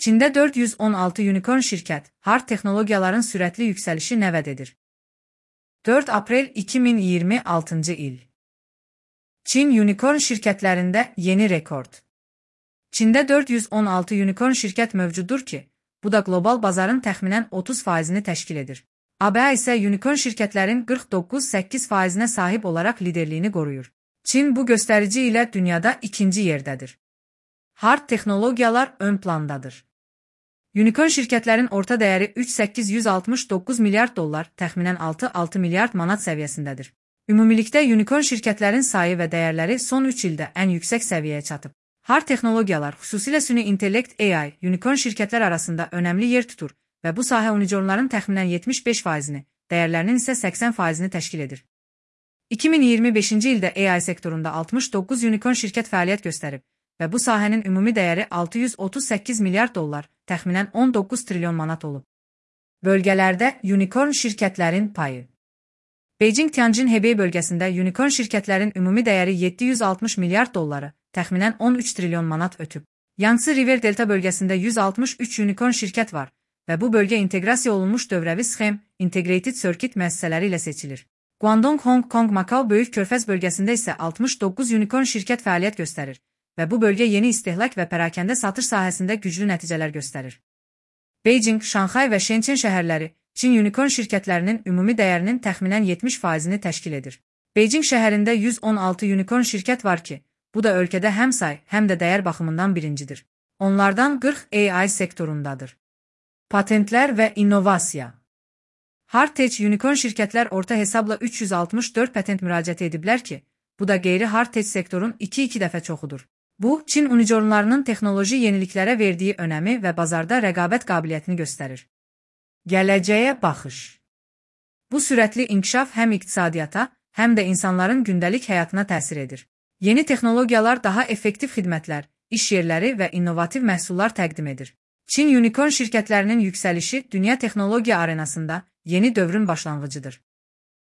Çində 416 unikorn şirkət, hard texnologiyaların sürətli yüksəlişi nə vəd edir? 4 aprel 2026 il. Çin unikorn şirkətlərində yeni rekord. Çində 416 unikorn şirkət mövcuddur ki, bu da qlobal bazarın təxminən 30%-ni təşkil edir. ABA isə unikorn şirkətlərin 49,8%-nə sahib olaraq liderliyini qoruyur. Çin bu göstərici ilə dünyada ikinci yerdədir. Hard texnologiyalar ön plandadır. Unikorn şirkətlərin orta dəyəri 3,869 milyard dollar, təxminən 6,6 milyard manat səviyyəsindədir. Ümumilikdə unikorn şirkətlərin sayı və dəyərləri son 3 ildə ən yüksək səviyyəyə çatıb. Hard texnologiyalar, xüsusilə süni intellekt AI, unikorn şirkətlər arasında önəmli yer tutur və bu sahə unicornların təxminən 75%-ni, dəyərlərinin isə 80%-ni təşkil edir. 2025-ci ildə AI sektorunda 69 unikorn şirkət fəaliyyət göstərib və bu sahənin ümumi dəyəri 638 milyard dollar, təxminən 19 trilyon manat olub. Bölgələrdə unikorn şirkətlərin payı. Beijing-Tianjin-Hebei bölgəsində unikorn şirkətlərin ümumi dəyəri 760 milyard dolları, təxminən 13 trilyon manat ötüb. Yangtze River Delta bölgəsində 163 unikorn şirkət var və bu bölgə inteqrasiya olunmuş dövrəvi sxem, Integrated Circuit müəssisələri ilə seçilir. Guangdong, Hong Kong, Makao Böyük Körfəz bölgəsində isə 69 unikorn şirkət fəaliyyət göstərir və bu bölgə yeni istehlak və pərakəndə satış sahəsində güclü nəticələr göstərir. Beijing, Şanxay və Shenzhen şəhərləri Çin unikorn şirkətlərinin ümumi dəyərinin təxminən 70%-ni təşkil edir. Beijing şəhərində 116 unikorn şirkət var ki, bu da ölkədə həm say, həm də dəyər baxımından birincidir. Onlardan 40 AI sektorundadır. Patentlər və innovasiya. Hard-tech unikorn şirkətlər orta hesabla 364 patent müraciət ediblər ki, bu da qeyri-hard-tech sektorun 2-2 dəfə çoxudur. Bu, Çin unicornlarının texnoloji yeniliklərə verdiyi önəmi və bazarda rəqabət qabiliyyətini göstərir. Gələcəyə baxış. Bu sürətli inkişaf həm iqtisadiyyata, həm də insanların gündəlik həyatına təsir edir. Yeni texnologiyalar daha effektiv xidmətlər, iş yerləri və innovativ məhsullar təqdim edir. Çin unikorn şirkətlərinin yüksəlişi dünya texnologiya arenasında yeni dövrün başlanğıcıdır.